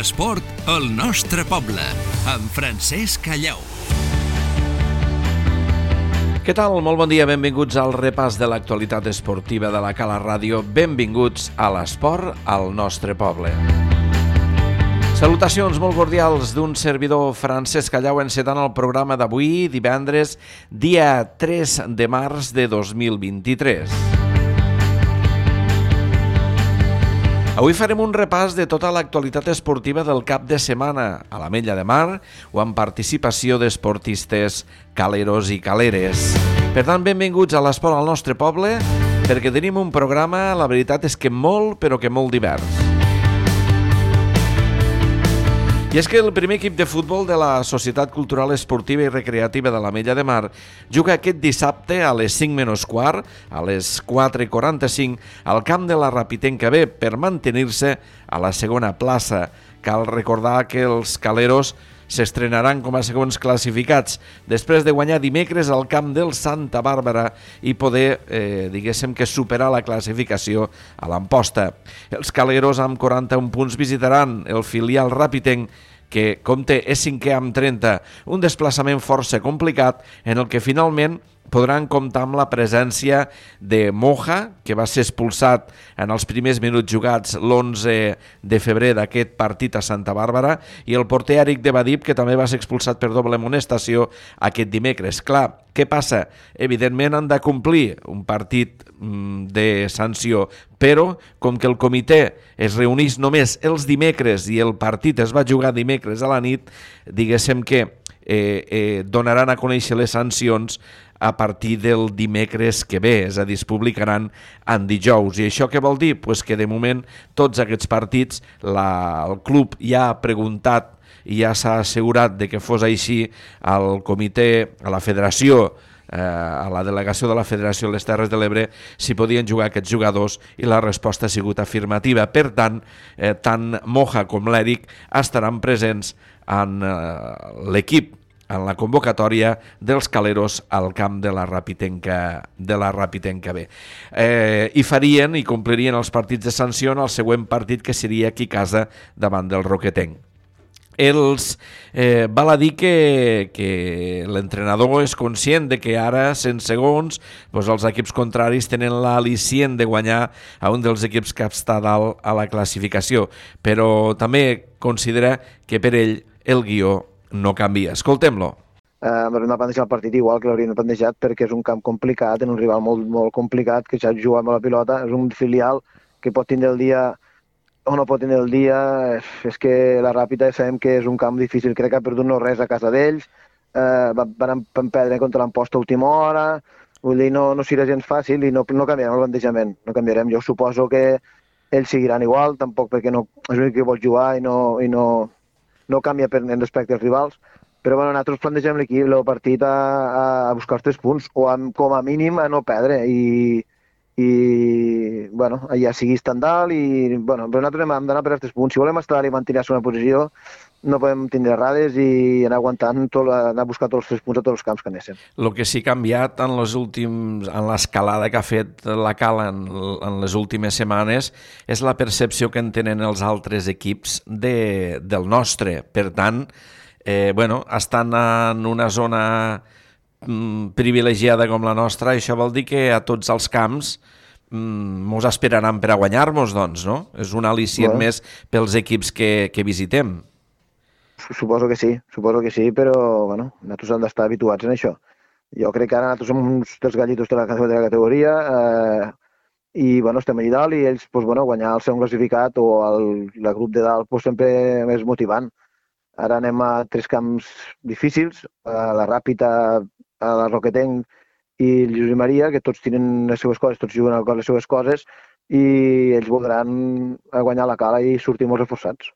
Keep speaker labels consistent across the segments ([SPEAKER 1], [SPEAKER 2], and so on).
[SPEAKER 1] L'esport al nostre poble, amb Francesc Callau. Què tal? Molt bon dia, benvinguts al repàs de l'actualitat esportiva de la Cala Ràdio. Benvinguts a l'esport al nostre poble. Salutacions molt cordials d'un servidor, Francesc Callau, encetant el programa d'avui, divendres, dia 3 de març de 2023. Avui farem un repàs de tota l'actualitat esportiva del cap de setmana a l'Ametlla de Mar o amb participació d'esportistes caleros i caleres. Per tant, benvinguts a l'esport al nostre poble, perquè tenim un programa, la veritat és que molt, però que molt divers. I és que el primer equip de futbol de la Societat Cultural Esportiva i Recreativa de l'Ametlla de Mar juga aquest dissabte a les 5 menys quart, a les 4:45, al camp de la Rapitenca B per mantenir-se a la segona plaça. Cal recordar que els caleros s'estrenaran com a segons classificats després de guanyar dimecres al camp del Santa Bàrbara i poder, diguéssim que superar la classificació a l'Amposta. Els caleros amb 41 punts visitaran el filial rapitenc que compta és 5è amb 30, un desplaçament força complicat en el que finalment podran comptar amb la presència de Moja, que va ser expulsat en els primers minuts jugats l'11 de febrer d'aquest partit a Santa Bàrbara, i el porter Eric de Badip, que també va ser expulsat per doble amonestació aquest dimecres. Clar, què passa? Evidentment han de complir un partit de sanció, però com que el comitè es reunís només els dimecres i el partit es va jugar dimecres a la nit, diguéssim que donaran a conèixer les sancions a partir del dimecres que ve, és a dir, es publicaran en dijous. I això què vol dir? Pues que de moment tots aquests partits el club ja ha preguntat i ja s'ha assegurat de que fos així al comitè, a la federació, a la delegació de la Federació de les Terres de l'Ebre, si podien jugar aquests jugadors, i la resposta ha sigut afirmativa. Per tant, tant Moja com l'Eric estaran presents en l'equip, en la convocatòria dels caleros al camp de la Rapitenca B. I farien i complirien els partits de sanció en el següent partit, que seria aquí a casa davant del Roquetenc. Val a dir que l'entrenador és conscient de que ara, sense segons, els equips contraris tenen l'al·licient de guanyar a un dels equips que està dalt a la classificació, però també considera que per ell el guió no canvia. Escoltem-lo.
[SPEAKER 2] Hem de plantejar el partit igual que l'hauríem plantejat, perquè és un camp complicat, en un rival molt, molt complicat, que ja juga amb la pilota, és un filial que pot tindre el dia o no pot tenir el dia. És que la Ràpita sabem que és un camp difícil, crec que ha perdut no res a casa d'ells, van perdre contra l'Amposta a última hora, vull dir, no serà gens fàcil i no canviarem el plantejament, no canviarem. Jo suposo que ells seguiran igual, tampoc perquè no és l'únic que vol jugar i no canvia respecte als rivals, però bueno, nosaltres plantegem l'equip, el partit a buscar els 3 punts, o com a mínim a no perdre, i bueno, ja sigui estandard, i bueno, però nosaltres hem d'anar per els 3 punts. Si volem estar i mantenir la segona posició, no podem tindre errades i anar aguantant, anar a buscar tots els 3 punts a tots els camps que anessin.
[SPEAKER 1] El que sí que ha canviat en l'escalada que ha fet la Cala en les últimes setmanes és la percepció que en tenen els altres equips del nostre. Per tant, estan en una zona privilegiada com la nostra, això vol dir que a tots els camps mos esperaran per a guanyar-nos, doncs, no? És un al·licient més pels equips que visitem.
[SPEAKER 2] Suposo que sí, però bueno, nosaltres hem d'estar habituats en això. Jo crec que ara nosaltres som uns dels gallitos de la categoria i bueno, estem allà dalt, i ells guanyar el segon classificat o el grup de dalt sempre és motivant. Ara anem a 3 camps difícils, a la Ràpita, a la Roquetenc i el Josep Maria, que tots tenen les seves coses, tots juguen a les seves coses, i ells voldran guanyar la Cala i sortir molt reforçats.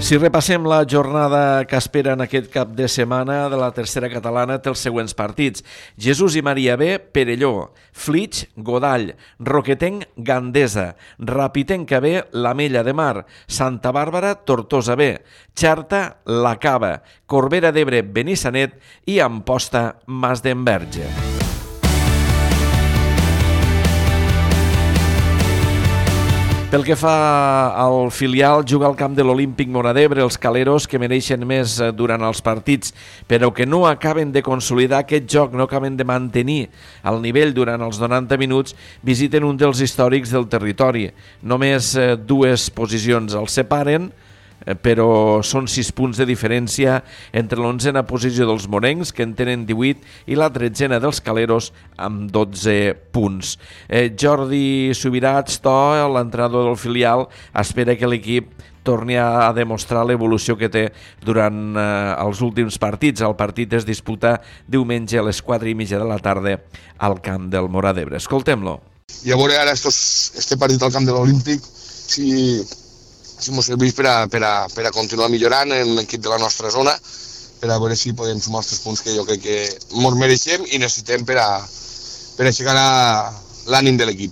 [SPEAKER 1] Si repassem la jornada que espera en aquest cap de setmana de la tercera catalana, té els següents partits. Jesús i Maria B, Perelló, Flix, Godall, Roquetenc, Gandesa, Rapitenca B, l'Ametlla de Mar, Santa Bàrbara, Tortosa B, Xarta, La Cava, Corbera d'Ebre, Benissanet i Amposta, Masdenverge. Pel que fa al filial, juga al camp de l'Olímpic Móra d'Ebre els caleros que mereixen més durant els partits, però que no acaben de consolidar aquest joc, no acaben de mantenir el nivell durant els 90 minuts, visiten un dels històrics del territori. Només dues posicions els separen, però són 6 punts de diferència entre l'11a posició dels morencs, que en tenen 18, i la 13a dels caleros amb 12 punts. Jordi Subirats, l'entrenador del filial, espera que l'equip torni a demostrar l'evolució que té durant els últims partits. El partit es disputa diumenge a les 4:30 de la tarda al camp del Móra d'Ebre. Escoltem-lo.
[SPEAKER 3] I a veure ara este partit al camp de l'Olímpic, si ens serveix per a continuar millorant en l'equip de la nostra zona, per a veure si podem sumar els 3 punts que jo crec que ens mereixem i necessitem per aixecar l'ànim de l'equip.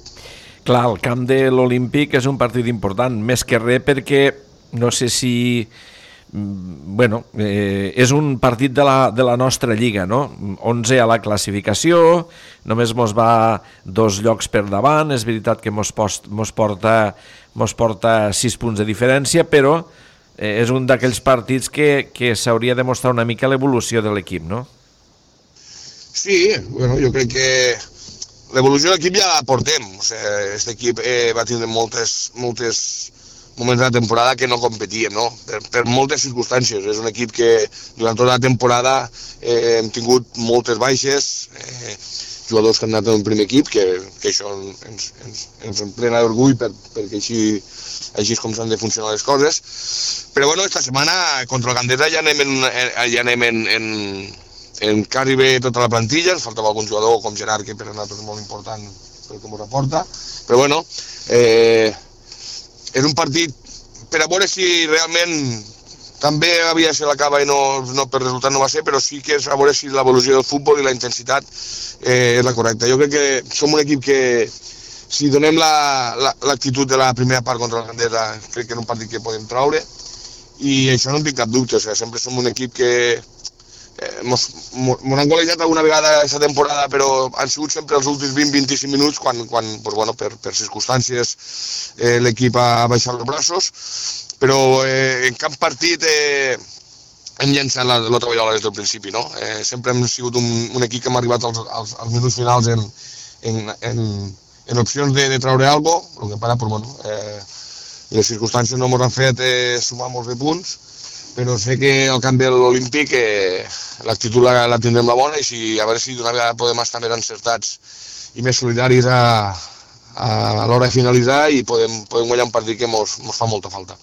[SPEAKER 1] Clar, el camp de l'Olímpic és un partit important, més que res perquè no sé si... Bueno, és un partit de la nostra lliga, no? 11 a la classificació, només mos va 2 llocs per davant, és veritat que mos porta 6 punts de diferència, però és un d'aquells partits que s'hauria de mostrar una mica l'evolució de l'equip, no?
[SPEAKER 3] Sí, bueno, jo crec que l'evolució de l'equip ja la portem. O sigui, aquest equip va tindre moltes moments de la temporada que no competíem, no? Per moltes circumstàncies. És un equip que durant tota la temporada hem tingut moltes baixes, jugadors que han anat en un primer equip, que això ens emplena d'orgull perquè així és com s'han de funcionar les coses. Però bueno, esta setmana contra el Gandesa ja anem en quasi bé tota la plantilla, ens faltava algun jugador com Gerard, que per a nosaltres és molt important pel que ens aporta. Però bueno, és un partit per a veure si realment també havia de ser la cava i no per resultat no va ser, però sí que és a veure si l'evolució del futbol i la intensitat és la correcta. Jo crec que som un equip que si donem l'actitud de la primera part contra el Gandesa, crec que és un partit que podem traure i això no en tinc cap dubte. O sigui, sempre som un equip que mos han golejat alguna vegada aquesta temporada, però han sigut sempre els últims 20-25 minuts quan pues bueno, per circumstàncies l'equip ha baixat els braços, però en cap partit hem llançat la tovallola des del principi, no? Sempre hem sigut un equip que hem arribat als minuts finals en opcions de traure alguna cosa, el que para, pues bueno, les circumstàncies no ens han fet sumar molts de punts, però sé que al camp de l'Olímpic l'actitud la tindrem la bona i a veure si d'una vegada podem estar més encertats i més solidaris a l'hora de finalitzar i podem guanyar un partit que mos fa molta falta.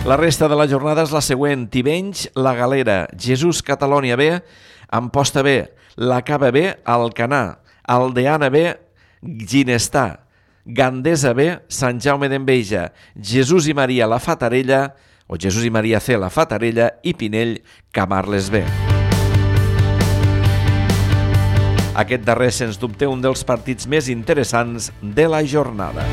[SPEAKER 1] La resta de la jornada és la següent: Tivenys, La Galera, Jesús Catalònia B, Amposta B, La Cava B, Alcanar, Aldeana B, Ginestà, Gandesa B, Sant Jaume d'Enveja, Jesús i Maria La Fatarella, o Jesús i Maria C, La Fatarella, i Pinell, Camarles B. Aquest darrer, sens dubte, un dels partits més interessants de la jornada.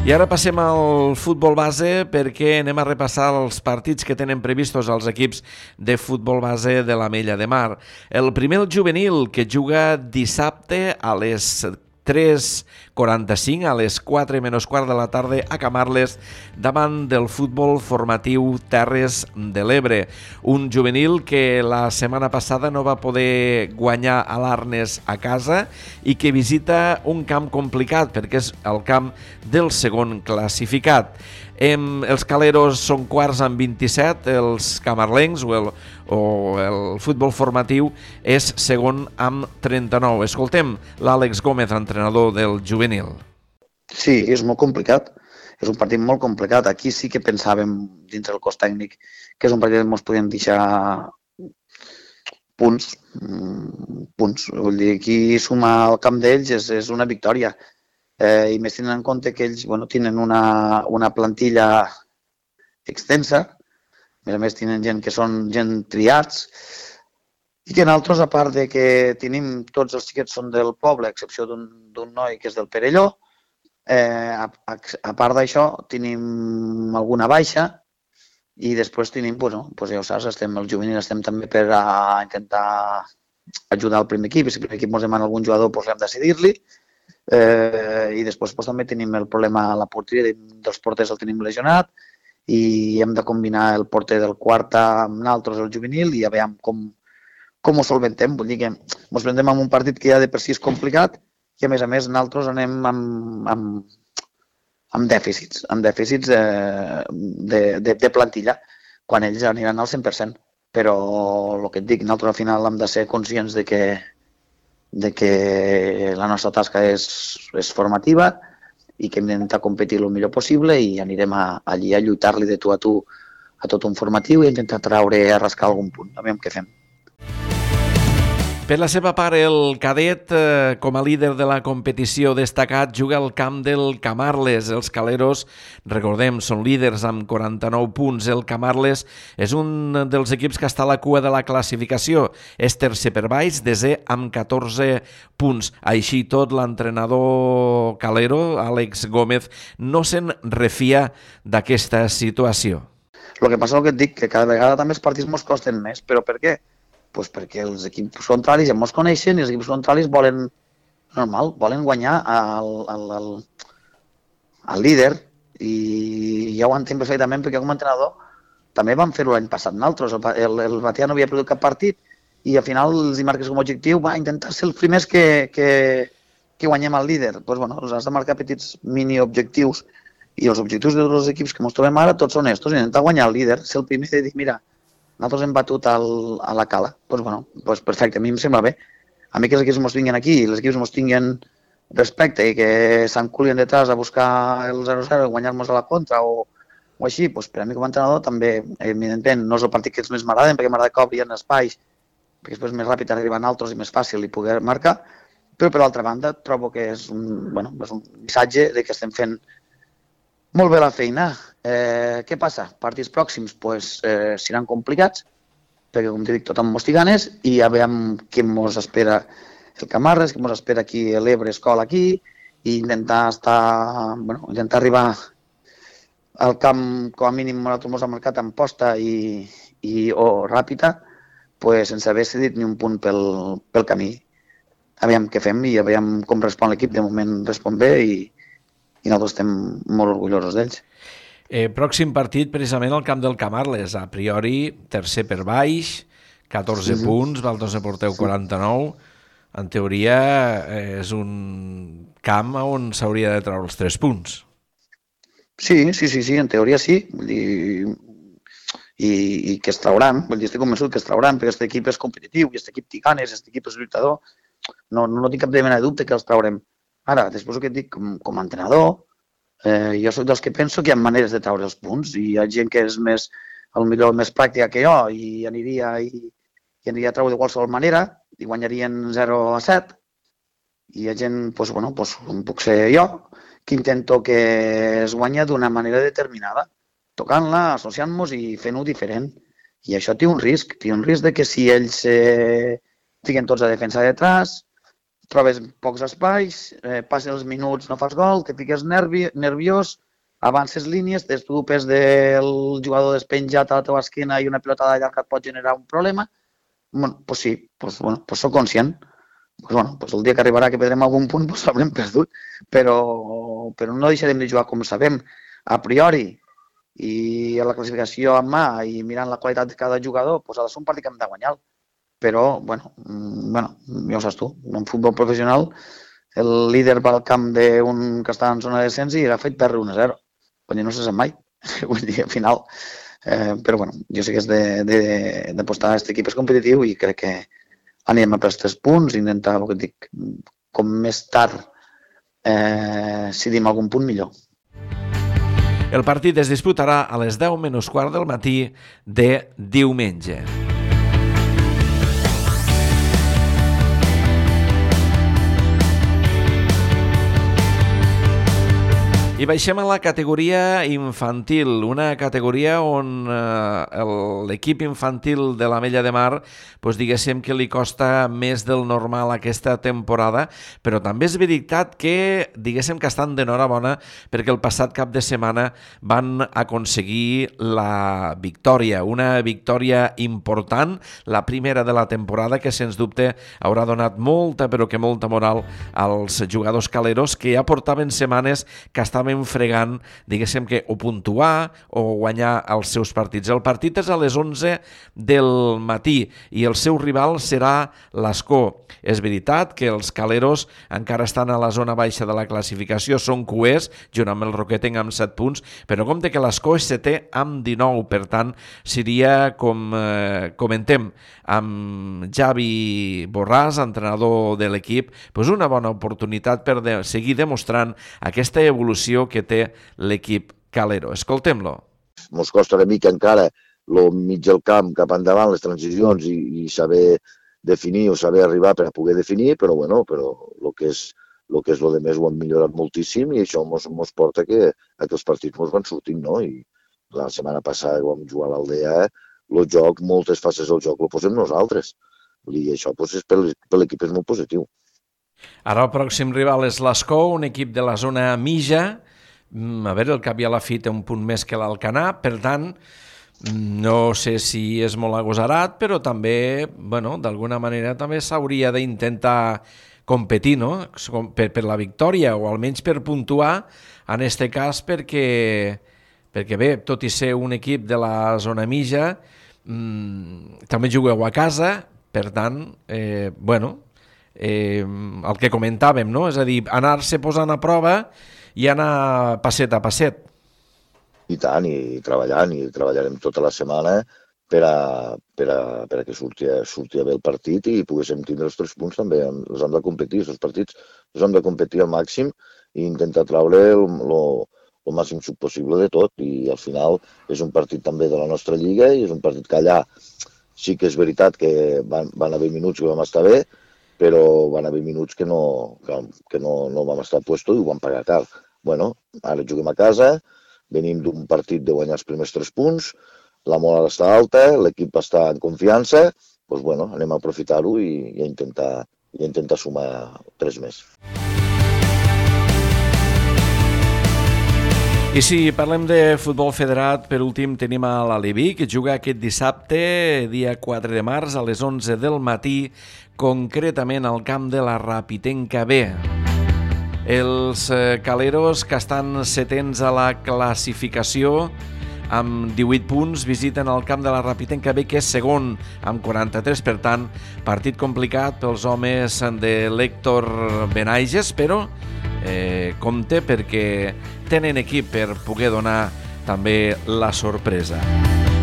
[SPEAKER 1] I ara passem al futbol base perquè anem a repassar els partits que tenen previstos els equips de futbol base de l'Ametlla de Mar. El primer, el juvenil, que juga dissabte a les 3:45, a les 4:15 de la tarda a Camarles, davant del futbol formatiu Terres de l'Ebre. Un juvenil que la setmana passada no va poder guanyar a l'Arnes a casa i que visita un camp complicat perquè és el camp del segon classificat. Els caleros són quarts amb 27, els camarlencs o el futbol formatiu és segon amb 39. Escoltem l'Àlex Gómez, entrenador del juvenil.
[SPEAKER 4] Sí, és molt complicat. És un partit molt complicat. Aquí sí que pensàvem, dins del cos tècnic, que és un partit que ens podien deixar punts. Vull dir, aquí sumar al camp d'ells és una victòria. I més tenint en compte que ells tenen una plantilla extensa, a més tenen gent que són gent triats, i que nosaltres, a part de que tenim tots els xiquets són del poble, a excepció d'un noi que és del Perelló, a part d'això tenim alguna baixa i després tenim, ja ho saps, el juvenil estem també per a intentar ajudar el primer equip, i si el primer equip ens demana algun jugador, doncs hem de decidir-li. I després doncs, també tenim el problema a la porteria, dels porters el tenim lesionat, i hem de combinar el porter del quart amb nosaltres, el juvenil, i a veure com ho solventem. Vull dir que ens presentem en un partit que ja de per si és complicat, i a més nosaltres anem amb dèficits de plantilla, quan ells aniran al 100%. Però el que et dic, nosaltres al final hem de ser conscients de que la nostra tasca és formativa i que hem d'intentar competir el millor possible, i anirem allí a lluitar-li de tu a tot un formatiu i intentar rascar algun punt. A veure què fem.
[SPEAKER 1] Per la seva part, el cadet, com a líder de la competició destacat, juga al camp del Camarles. Els caleros, recordem, són líders amb 49 punts. El Camarles és un dels equips que està a la cua de la classificació. És tercer per baix, desè amb 14 punts. Així tot, l'entrenador calero, Àlex Gómez, no se'n refia d'aquesta situació.
[SPEAKER 4] El que passa és que et dic, que cada vegada també els partits ens costen més. Però per què? Pues perquè els equips contraris ja ens coneixen i els equips contraris volen guanyar al líder, i ja ho entenc perfectament perquè com a entrenador també vam fer-ho l'any passat nosaltres. El Batea no havia perdut cap partit i al final els marques com a objectiu intentar ser els primers que guanyem al líder. Pues, has de marcar petits mini-objectius, i els objectius dels equips que ens trobem ara tots són estos: intentar guanyar el líder, ser el primer i dir, mira, nosaltres hem batut a la Cala. Doncs perfecte, a mi em sembla bé. A mi que els equips ens vinguin aquí i els equips ens tinguin respecte i que s'enculien detrás a buscar el 0-0 i guanyar-nos a la contra o així, doncs per a mi com a entrenador també, evidentment, no és el partit que els més m'agraden, perquè m'agrada que obrin espais, perquè després és més ràpid arribar a altres i més fàcil i poder marcar, però per l'altra banda trobo que és un missatge de que estem fent molt bé la feina. Què passa? Partits pròxims seran complicats, perquè, com t'he dit, tot amb mostiganes, i ja veiem què ens espera el Camarles, què ens espera aquí l'Ebre Escola aquí, i intentar arribar al camp, com a mínim, nosaltres ens ha marcat en posta o ràpida, sense haver cedit ni un punt pel camí. Aviam què fem i aviam com respon l'equip. De moment respon bé i nosaltres estem molt orgullosos d'ells.
[SPEAKER 1] Pròxim partit, precisament, al camp del Camarles. A priori, tercer per baix, 14 punts, vosaltres porteu 49. En teoria, és un camp on s'hauria de treure els 3 punts.
[SPEAKER 4] Sí, en teoria sí. Vull dir, i que es trauran. Vull dir, estic convençut que es trauran, perquè aquest equip és competitiu, i aquest equip té ganes, aquest equip és lluitador. No tinc cap mena de dubte que els traurem. Ara, després que et dic, com a entrenador, jo soc dels que penso que hi ha maneres de treure els punts, i hi ha gent que és més pràctica que jo i aniria a treure de qualsevol manera i guanyarien 0-7, i hi ha gent, com puc ser jo, que intento que es guanya d'una manera determinada, tocant-la, associant-nos i fent-ho diferent. I això té un risc de que si ells fiquen tots a defensa detrás, trobes pocs espais, passen els minuts, no fas gol, te fiques nerviós, avances línies, t'estupes del jugador despenjat a la teva esquena i una pilota de llarga et pot generar un problema. Doncs sí, soc conscient. El dia que arribarà que perdrem algun punt, l'haurem perdut, però no deixarem de jugar com sabem, a priori, i a la classificació en mà i mirant la qualitat de cada jugador, ha de ser un partit que hem de guanyar. Però, ja ho saps tu, en futbol professional el líder va al camp d'un que està en zona de descens i ha fet perdre 1-0. No se sap mai, vull dir, al final. Però, jo sé que és d'apostar a aquest equip és competitiu i crec que anirem a per els 3 punts i intentar, el que et dic, com més tard si dim algun punt, millor.
[SPEAKER 1] El partit es disputarà a les 10 menys quart del matí de diumenge. I baixem a la categoria infantil, una categoria on l'equip infantil de l'Ametlla de Mar, diguéssim que li costa més del normal aquesta temporada, però també és veritat que, diguéssim que estan d'enhorabona perquè el passat cap de setmana van aconseguir la victòria, una victòria important, la primera de la temporada, que sens dubte haurà donat molta, però que molta moral als jugadors caleros que ja portaven setmanes que estaven fregant, diguéssim que o puntuar o guanyar els seus partits. El partit és a les 11 del matí i el seu rival serà l'Ascó. És veritat que els caleros encara estan a la zona baixa de la classificació, són cuers, junt amb el Roquetenc amb 7 punts, però compte que l'Ascó és 7è amb 19, per tant, seria, com comentem, amb Javi Borràs, entrenador de l'equip, una bona oportunitat per seguir demostrant aquesta evolució que té l'equip calero. Escoltem-lo.
[SPEAKER 5] Ens costa una mica encara el mig del camp cap endavant, les transicions i saber definir o saber arribar per a poder definir, però el que és el de més ho hem millorat moltíssim i això ens porta que els partits ens van sortint, no? I la setmana passada que vam jugar a l'Aldea, el joc, moltes fases del joc el posem nosaltres. I això per l'equip és molt positiu.
[SPEAKER 1] Ara el pròxim rival és l'Ascó, un equip de la zona mitja. A veure, el cap i a la fi té un punt més que l'Alcanar, per tant, no sé si és molt agosarat, però també, d'alguna manera també s'hauria d'intentar competir, no? Per la victòria, o almenys per puntuar, en aquest cas, perquè bé, tot i ser un equip de la zona mitja, també jugueu a casa, per tant, el que comentàvem, no? És a dir, anar-se posant a prova i anar passet a passet.
[SPEAKER 5] I tant, i treballarem tota la setmana per a que surti bé el partit i poguéssim tindre els 3 punts també. Els hem de competir, els partits els hem de competir al màxim i intentar traure el màxim possible de tot. I al final és un partit també de la nostra lliga i és un partit que allà sí que és veritat que van haver minuts que vam estar bé, però van haver minuts que no vam estar a puesto i ho vam pagar car. Ara juguem a casa, venim d'un partit de guanyar els primers 3 punts, la moral està alta, l'equip està en confiança, anem a aprofitar-ho i a intentar sumar 3 més.
[SPEAKER 1] I si parlem de futbol federat, per últim tenim a l'Aleví, que juga aquest dissabte, dia 4 de març, a les 11 del matí, concretament al camp de la Rapitenca B. Els caleros, que estan setens a la classificació, amb 18 punts, visiten el camp de la Rapitenca B, que és segon, amb 43, per tant, partit complicat pels homes de l'Héctor Benaiges, però compte perquè tenen equip per poder donar també la sorpresa.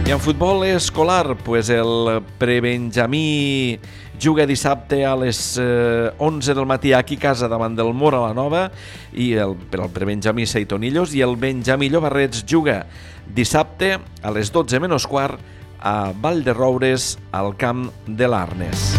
[SPEAKER 1] I en futbol escolar, el prebenjamí juga dissabte a les 11 del matí aquí a casa davant del Mora la Nova i per al prebenjamí Seitonillos, i el benjamí Llobarrets juga dissabte a les 12 menys quart a Vall de Roures al camp de l'Arnes.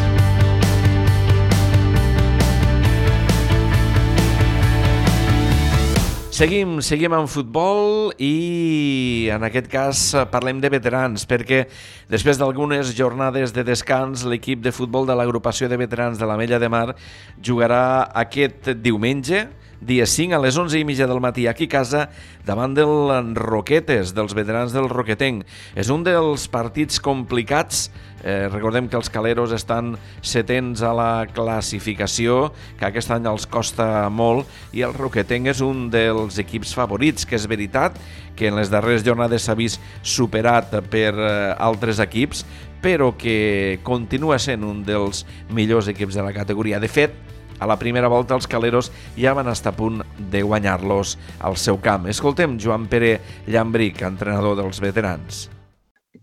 [SPEAKER 1] Seguim en futbol i en aquest cas parlem de veterans, perquè després d'algunes jornades de descans l'equip de futbol de l'agrupació de veterans de l'Ametlla de Mar jugarà aquest diumenge, dia 5 a les 11:30 del matí aquí a casa davant del Roquetes, dels veterans del Roquetenc. És un dels partits complicats. Recordem que els caleros estan setens a la classificació, que aquest any els costa molt, i el Roquetenc és un dels equips favorits, que és veritat que en les darreres jornades s'ha vist superat per altres equips, però que continua sent un dels millors equips de la categoria. De fet, a la primera volta els caleros ja van estar a punt de guanyar-los al seu camp. Escoltem Joan Pere Llambric, entrenador dels veterans.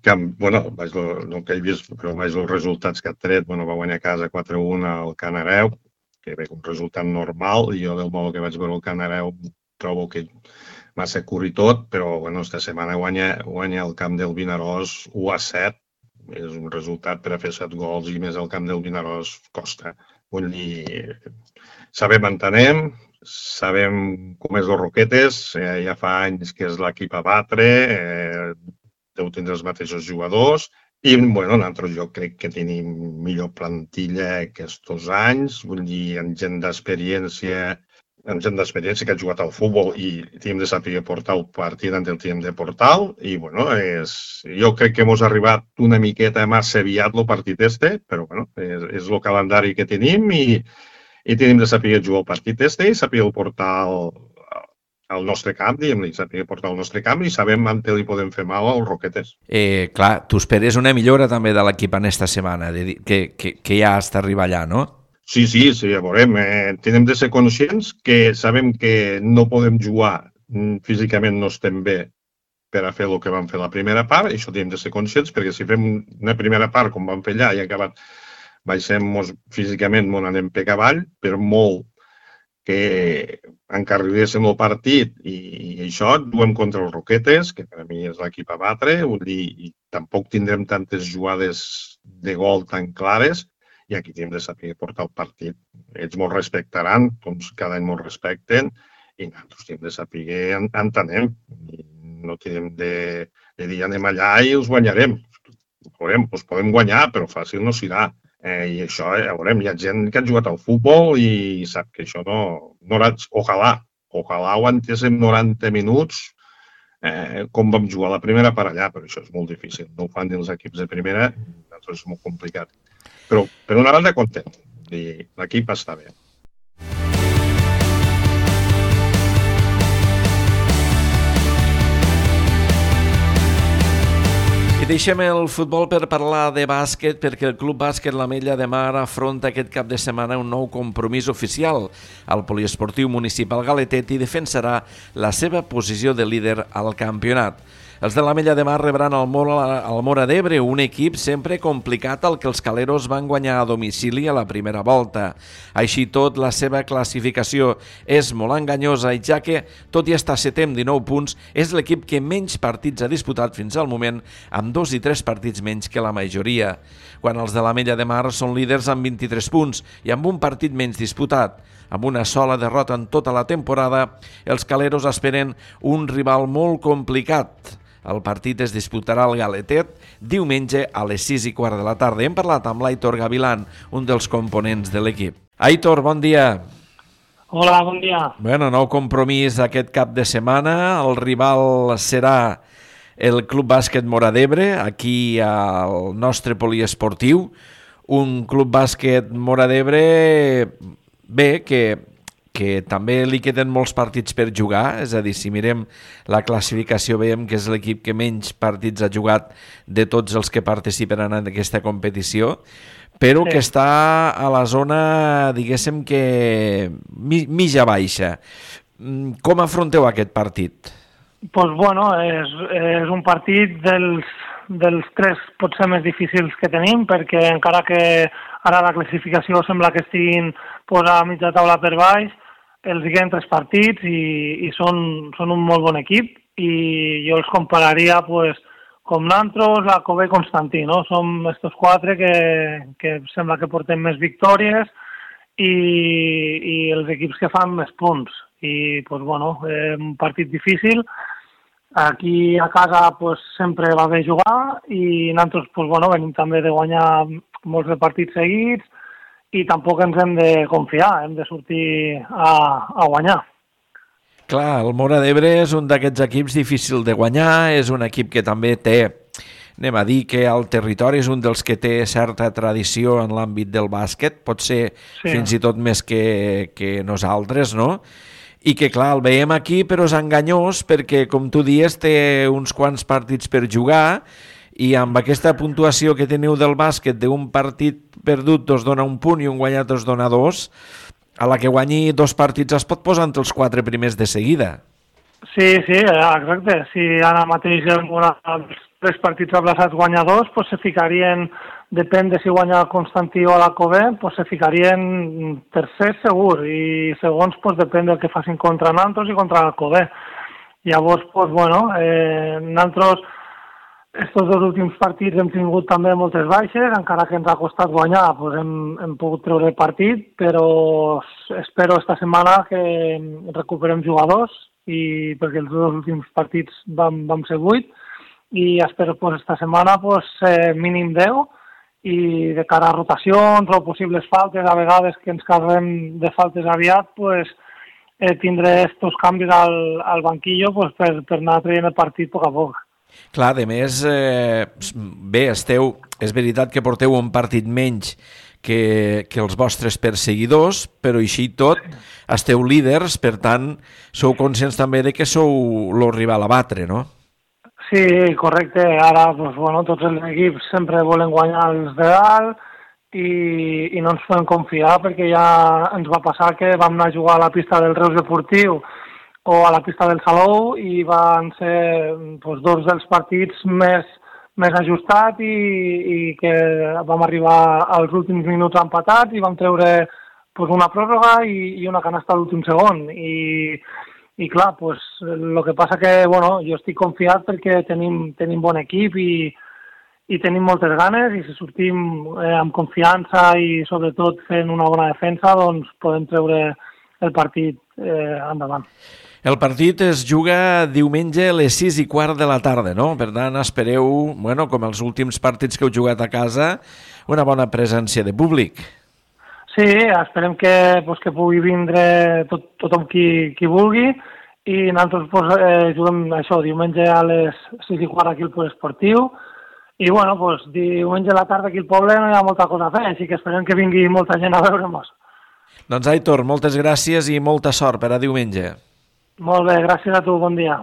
[SPEAKER 6] El que he vist, però vaig els resultats que ha tret, va guanyar a casa 4-1 al Canareu, que bé, un resultat normal, i jo del modo que vaig veure el Canareu trobo que massa curri tot, però esta setmana guanya el camp del Vinaròs 1-7, és un resultat per a fer 7 gols i més al camp del Vinaròs costa. Vull dir, sabem on anem, sabem com és els Roquetes, ja fa anys que és l'equip a batre, deu tindre els mateixos jugadors, i bueno, nosaltres jo crec que tenim millor plantilla aquests anys, vull dir, amb gent d'experiència que ha jugat al futbol i tenim de saber portar el partit on el tenim de portar, i bueno, jo crec que hemos arribat una miqueta massa aviat el partit però bueno, és el calendari que tenim i tenim de saber jugar el partit i saber portar al nostre camp, diguem-li, saber portar al nostre camp i sabem on li podem fer mal als Roquetes.
[SPEAKER 1] Clar, tu esperes una millora també de l'equip en esta setmana, que ja està arribar allà, no?
[SPEAKER 6] Sí, ja veurem. Tenim de ser conscients que sabem que no podem jugar, físicament no estem bé per a fer el que vam fer la primera part, i això tenim de ser conscients, perquè si fem una primera part com vam fer allà i acabat baixem físicament, anem per avall, per molt que encarriléssim el partit i això juguem contra els Roquetes, que per a mi és l'equip a batre, vull dir, i tampoc tindrem tantes jugades de gol tan clares, i aquí tenim de saber portar el partit. Ells ens respectaran, com cada any ens respecten, i nosaltres tenim de saber on anem. No tenim de dir anem allà i els guanyarem. Els podem guanyar, però fàcil no serà. I això, ja veurem, hi ha gent que ha jugat al futbol i sap que això no... Ojalà ho aguantéssim 90 minuts com vam jugar la primera part allà, però això és molt difícil. No ho fan els equips de primera, és molt complicat. Però, per una banda, content. L'equip està bé.
[SPEAKER 1] I deixem el futbol per parlar de bàsquet, perquè el Club Bàsquet l'Ametlla de Mar afronta aquest cap de setmana un nou compromís oficial al poliesportiu municipal galetet i defensarà la seva posició de líder al campionat. Els de l'Ametlla de Mar rebran el Móra d'Ebre, un equip sempre complicat al que els caleros van guanyar a domicili a la primera volta. Així tot, la seva classificació és molt enganyosa, i ja que, tot i estar setè amb 19 punts, és l'equip que menys partits ha disputat fins al moment, amb 2 i 3 partits menys que la majoria. Quan els de l'Ametlla de Mar són líders amb 23 punts i amb un partit menys disputat. Amb una sola derrota en tota la temporada, els caleros esperen un rival molt complicat. El partit es disputarà al Galetet diumenge a les 6:15 de la tarda. Hem parlat amb l'Aitor Gavilán, un dels components de l'equip. Aitor, bon dia.
[SPEAKER 7] Hola, bon dia.
[SPEAKER 1] Bueno, nou compromís aquest cap de setmana. El rival serà el Club Bàsquet Móra d'Ebre, aquí al nostre poliesportiu. Un Club Bàsquet Móra d'Ebre, bé, que també li queden molts partits per jugar, és a dir, si mirem la classificació veiem que és l'equip que menys partits ha jugat de tots els que participen en aquesta competició, però que està a la zona, diguéssim que mitja baixa. Com afronteu aquest partit?
[SPEAKER 7] Doncs bueno, és un partit dels 3 potser més difícils que tenim, perquè encara que ara la classificació sembla que estiguin a mitja taula per baix, els queden 3 partits i són un molt bon equip, i jo els compararia com Nantros, la Cové i Constantí, no? Som estos 4 que sembla que portem més victòries i els equips que fan més punts. I bueno, un partit difícil. Aquí a casa sempre va bé jugar i nosaltres venim també de guanyar molts de partits seguits, i tampoc ens hem de confiar, hem de sortir a guanyar.
[SPEAKER 1] Clar, el Móra d'Ebre és un d'aquests equips difícil de guanyar, és un equip que també té, anem a dir que al territori és un dels que té certa tradició en l'àmbit del bàsquet, pot ser fins i tot més que nosaltres, no? I que, clar, el veiem aquí, però és enganyós perquè, com tu dies, té uns quants partits per jugar, i amb aquesta puntuació que teniu del bàsquet d'un partit perdut us dona 1 punt i un guanyat us dona 2, a la que guanyi 2 partits es pot posar entre els 4 primers de seguida.
[SPEAKER 7] Sí, exacte. Si ara mateix els 3 partits aplaçats guanya 2, se ficarien, depèn de si guanya el Constantí o la Cové, se ficarien tercer segur, i segons depèn del que facin contra Nantros i contra la Cové. Llavors, nosaltres estos dos últims partits hem tingut també moltes baixes, encara que ens ha costat guanyar, doncs hem pogut treure el partit, però espero esta setmana que recuperem jugadors, i perquè els dos últims partits vam ser 8, i espero esta setmana mínim 10, i de cara a rotacions o possibles faltes, a vegades que ens carreguem de faltes aviat, tindré estos canvis al banquillo per anar traient el partit a poc a poc.
[SPEAKER 1] Clar, a més, bé, és veritat que porteu un partit menys que els vostres perseguidors, però així tot esteu líders, per tant, sou conscients també de que sou el rival a batre, no?
[SPEAKER 7] Sí, correcte. Ara, tots els equips sempre volen guanyar els de dalt i no ens podem confiar, perquè ja ens va passar que vam anar a jugar a la pista del Reus Deportiu o a la pista del Salou i van ser dos dels partits més ajustats i que vam arribar als últims minuts empatats i vam treure una pròrroga i una canasta a l'últim segon. I clar, el que passa que jo estic confiat perquè tenim bon equip i tenim moltes ganes, i si sortim amb confiança i sobretot fent una bona defensa, doncs podem treure el partit endavant.
[SPEAKER 1] El partit es juga diumenge a les 6:15 de la tarda, no? Per tant, espereu, com els últims partits que heu jugat a casa, una bona presència de públic.
[SPEAKER 7] Sí, esperem que pugui vindre tothom qui vulgui, i nosaltres juguem això diumenge a les 6:15 aquí al Poliesportiu, i diumenge a la tarda aquí al poble no hi ha molta cosa a fer, així que esperem que vingui molta gent a veure'ns.
[SPEAKER 1] Doncs Aitor, moltes gràcies i molta sort per a diumenge.
[SPEAKER 7] Molt bé, gràcies a tu, bon dia.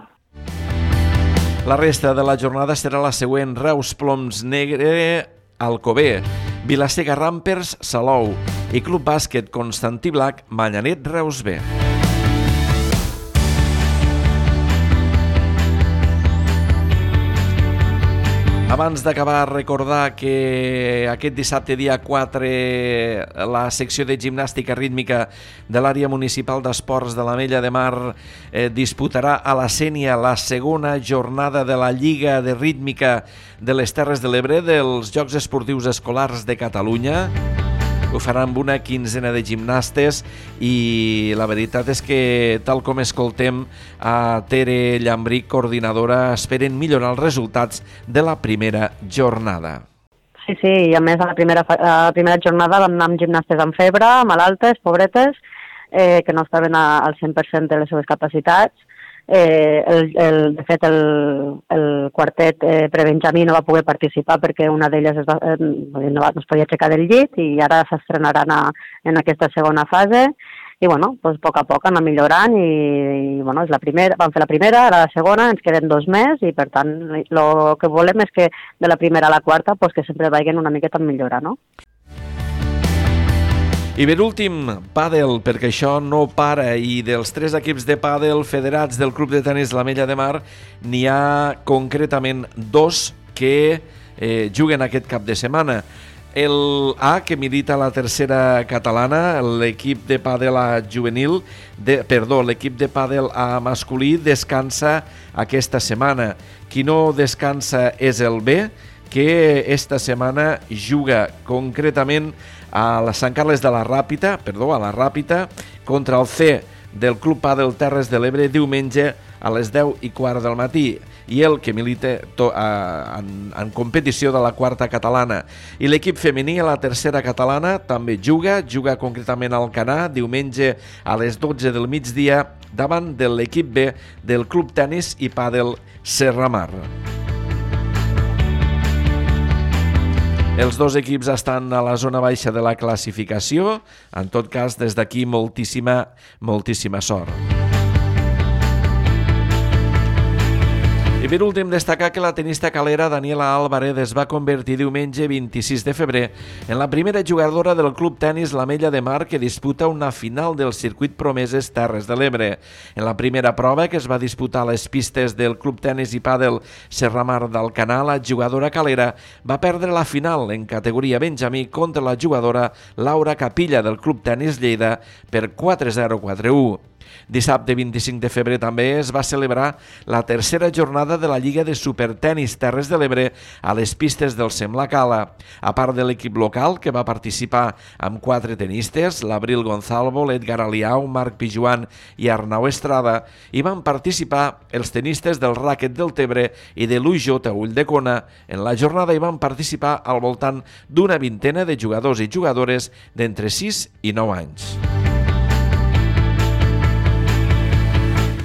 [SPEAKER 1] La resta de la jornada serà la següent: Reus Ploms Negre, Alcover, Vila-seca Rampers, Salou i Club Bàsquet Constantí Blac, Manyanet, Reus B. Abans d'acabar, recordar que aquest dissabte, dia 4, la secció de gimnàstica rítmica de l'àrea municipal d'esports de l'Ametlla de Mar disputarà a la Sénia la segona jornada de la Lliga de Rítmica de les Terres de l'Ebre dels Jocs Esportius Escolars de Catalunya. Ho farà amb una quinzena de gimnastes i la veritat és que, tal com escoltem a Tere Llambric, coordinadora, esperen millorar els resultats de la primera jornada.
[SPEAKER 8] Sí, i a més a la primera jornada vam anar amb gimnastes amb febre, malaltes, pobretes, que no estaven al 100% de les seves capacitats. De fet, el quartet prebenjamí no va poder participar perquè una d'elles no es podia aixecar del llit, i ara s'estrenaran en aquesta segona fase. I a poc a poc anar millorant, i és la primera, vam fer la primera, ara la segona, ens queden 2 més, i per tant el que volem és que de la primera a la quarta que sempre vagin una miqueta en millora, no?
[SPEAKER 1] I per últim, pàdel, perquè això no para, i dels 3 equips de pàdel federats del Club de Tenis l'Ametlla de Mar n'hi ha concretament 2 que juguen aquest cap de setmana. El A, que milita a la tercera catalana, l'equip de pàdel A juvenil, l'equip de pàdel A masculí descansa aquesta setmana. Qui no descansa és el B, que esta setmana juga concretament a la Sant Carles de la Ràpita, a la Ràpita, contra el C del Club Pàdel Terres de l'Ebre diumenge a les 10:15 del matí, i el que milita en competició de la quarta catalana. I l'equip femení a la tercera catalana també juga concretament al Canà diumenge a les 12 del migdia davant de l'equip B del Club Tenis i Pàdel Serramar. Els 2 equips estan a la zona baixa de la classificació. En tot cas, des d'aquí, moltíssima sort. I per últim, destacar que la tenista calera Daniela Álvarez es va convertir diumenge 26 de febrer en la primera jugadora del Club Tenis l'Ametlla de Mar que disputa una final del circuit Promeses Terres de l'Ebre. En la primera prova, que es va disputar a les pistes del Club Tenis i Pàdel Serramar d'Alcanar, la jugadora calera va perdre la final en categoria benjamí contra la jugadora Laura Capilla del Club Tenis Lleida per 4-0, 4-1. Dissabte 25 de febrer també es va celebrar la tercera jornada de la Lliga de Supertenis Terres de l'Ebre a les pistes del Sembla Cala. A part de l'equip local, que va participar amb 4 tenistes, l'Abril Gonzalvo, l'Edgar Aliau, Marc Pijuan i Arnau Estrada, hi van participar els tenistes del ràquet del Tebre i de l'UJ a Ulldecona. En la jornada hi van participar al voltant d'una vintena de jugadors i jugadores d'entre 6 i 9 anys.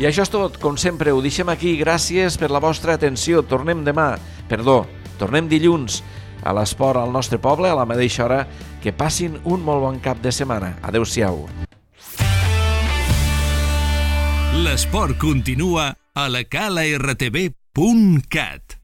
[SPEAKER 1] I això és tot. Com sempre, ho deixem aquí. Gràcies per la vostra atenció. Tornem dilluns a l'esport al nostre poble a la mateixa hora. Que passin un molt bon cap de setmana. Adéu-siau.
[SPEAKER 9] L'esport continua a la calartv.cat.